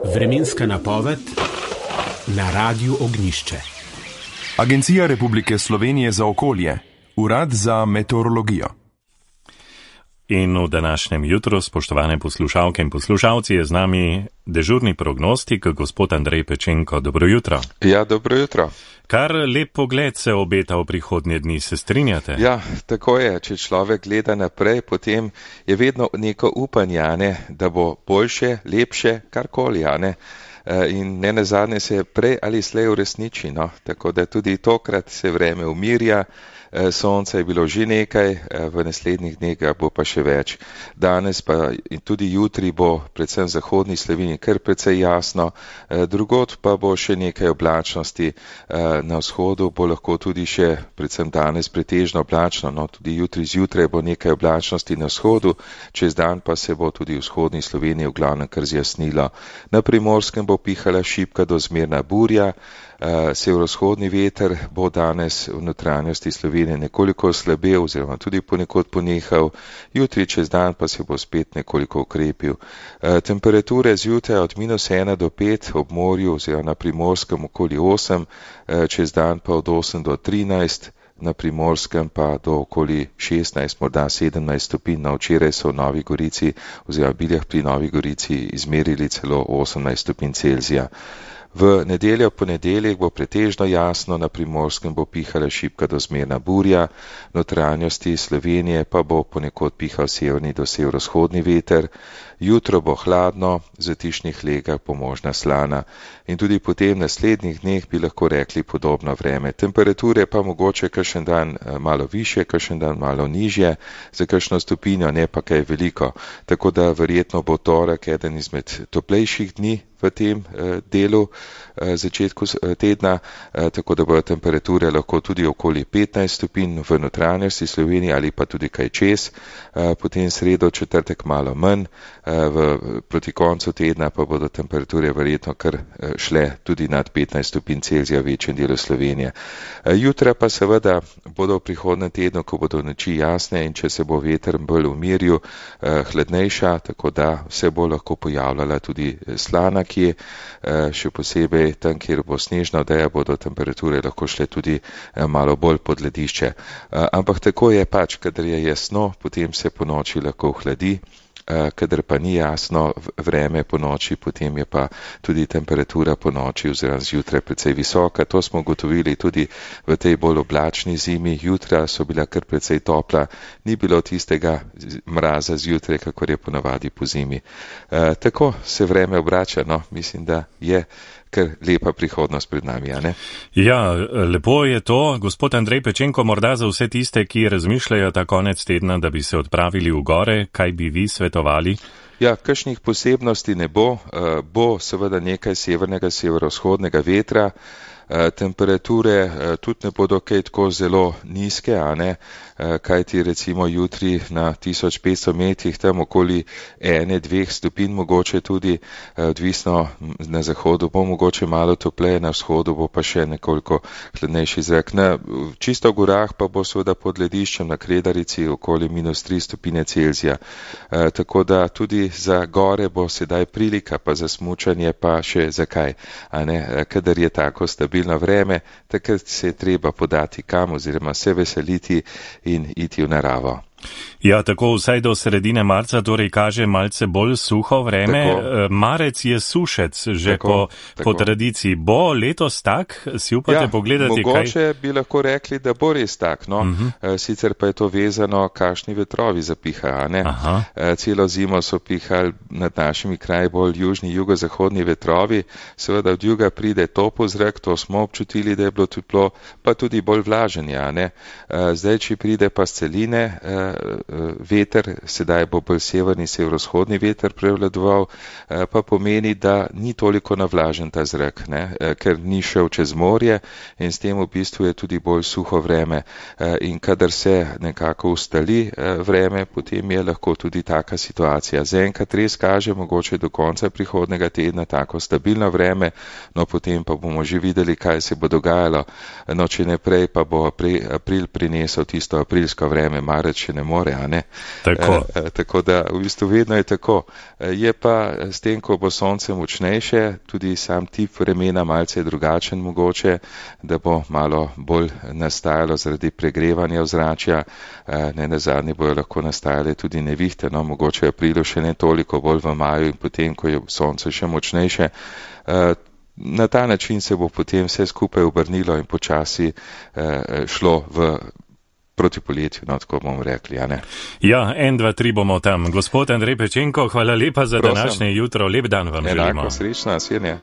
Vremenska napoved na Radiu Ognjišče. Agencija Republike Slovenije za okolje, Urad za meteorologijo. In v današnjem jutru, spoštovane poslušalke in poslušalci, je z nami dežurni prognostik, gospod Andrej Pečenko. Dobro jutro. Ja, dobro jutro. Kar lep pogled se obeta v prihodnje dni, se strinjate? Ja, tako je. Če človek gleda naprej, potem je vedno neko upanje, ne, da bo boljše, lepše, karkoli, ne. In ne nazadnje se prej ali slej uresniči, no. Tako da tudi tokrat se vreme umirja. Sonca je bilo že nekaj, v naslednjih dneh bo pa še več. Danes pa in tudi jutri bo predvsem v zahodni Sloveniji kar precej jasno, drugod pa bo še nekaj oblačnosti. Na vzhodu bo lahko tudi še predvsem danes pretežno oblačno, no tudi jutri zjutraj bo nekaj oblačnosti na vzhodu, čez dan pa se bo tudi v vzhodni Sloveniji v glavnem kar zjasnilo. Na Primorskem bo pihala šibka do zmerna burja. Severovzhodni veter bo danes v notranjosti Slovenije nekoliko oslabel oziroma tudi ponekod ponehal, jutri čez dan pa se bo spet nekoliko ukrepil. Temperature zjutraj od -1 do 5 ob morju oziroma na Primorskem okoli 8, čez dan pa od 8 do 13, na Primorskem pa do okoli 16, morda 17 stopinj. Na včeraj so v Novi Gorici oziroma Biljah pri Novi Gorici izmerili celo 18 stopinj Celzija. V nedeljo, ponedeljek bo pretežno jasno, na Primorskem bo pihala šibka do zmerna burja, notranjosti Slovenije pa bo ponekod pihal severni do severovzhodni veter, jutro bo hladno, v zatišnih legah bo možna slana in tudi potem v naslednjih dneh bi lahko rekli podobno vreme. Temperature pa mogoče kakšen dan malo više, kakšen dan malo nižje, za kakšno stopinjo ne pa kaj veliko, tako da verjetno bo torek eden izmed toplejših dni v tem delu začetku tedna, tako da bodo temperature lahko tudi okoli 15 stopinj v notranjosti Slovenije ali pa tudi kaj čez, potem sredo, četrtek malo manj, proti koncu tedna pa bodo temperature verjetno kar šle tudi nad 15 stopinj Celzija v večjem delu Slovenije. Jutra pa seveda bodo v prihodnem tednu, ko bodo noči jasne in če se bo veter bolj umiril, hladnejša, tako da se bo lahko pojavljala tudi slana, ki še posebej tam, kjer bo snežna odeja, bodo temperature lahko šle tudi malo bolj pod ledišče. Ampak tako je pač, kadar je jasno, potem se po noči lahko ohladi, kadar pa ni jasno vreme po noči, potem je pa tudi temperatura po noči oziroma zjutraj precej visoka. To smo ugotovili tudi v tej bolj oblačni zimi. Jutra so bila kar precej topla, ni bilo tistega mraza zjutraj, kakor je ponavadi po zimi. Tako se vreme obrača, no, mislim, da je kar lepa prihodnost pred nami, a ne? Ja, lepo je to. Gospod Andrej Pečenko, morda za vse tiste, ki razmišljajo ta konec tedna, da bi se odpravili v gore, kaj bi vi svetovali? Ja, kakšnih posebnosti ne bo. Bo seveda nekaj severnega, severovzhodnega vetra. Temperature tudi ne bodo kaj tako zelo nizke, a ne, kajti recimo jutri na 1500 metrih tam okoli 1-2 stopinj mogoče tudi, odvisno na zahodu bo mogoče malo topleje, na vzhodu bo pa še nekoliko hladnejši zrak. Na čisto gorah pa bo seveda pod lediščem na Kredarici okoli -3 stopinje Celzija. Tako da tudi za gore bo sedaj prilika, pa za smučanje pa še zakaj, a ne, kadar je tako stabilno vreme, takrat se je treba podati kam oziroma se veseliti in iti v naravo. Ja, tako vsaj do sredine marca, torej kaže malce bolj suho vreme. Tako. Marec je sušec, že tako. Po tradiciji. Bo letos tak? Si upate pogledati kaj? Mogoče bi lahko rekli, da bo res tak, no. Sicer pa je to vezano, kakšni vetrovi zapihajo, ne. Celo zimo so pihali nad našimi kraji bolj južni, jugozahodni vetrovi. Seveda od juga pride topel zrak, to smo občutili, da je bilo toplo, pa tudi bolj vlažen, ja, ne. Zdaj, če pride pa s celine, veter, sedaj bo bolj severni, severovzhodni veter prevladoval, pa pomeni, da ni toliko navlažen ta zrak, ne, ker ni šel čez morje in s tem v bistvu je tudi bolj suho vreme. In kadar se nekako ustali vreme, potem je lahko tudi taka situacija. Zaenkrat res kaže mogoče do konca prihodnega tedna tako stabilno vreme, no potem pa bomo že videli, kaj se bo dogajalo. No, če ne prej, pa bo april prinesel tisto aprilsko vreme, marec še ne more, a ne? Tako da v bistvu vedno je tako. Je pa s tem, ko bo sonce močnejše, tudi sam tip vremena malce drugačen mogoče, da bo malo bolj nastajalo zaradi pregrevanja ozračja, ne nazadnje bojo lahko nastajale tudi nevihte, no, mogoče v aprilu še ne toliko, bolj v maju in potem, ko je sonce še močnejše. Na ta način se bo potem vse skupaj obrnilo in počasi šlo proti poletju, no, tako bomo rekli, a ne? Ja, 1, 2, 3 bomo tam. Gospod Andrej Pečenko, hvala lepa za današnje jutro. Lep dan vam želimo. Enako, srečno, nasvidenje.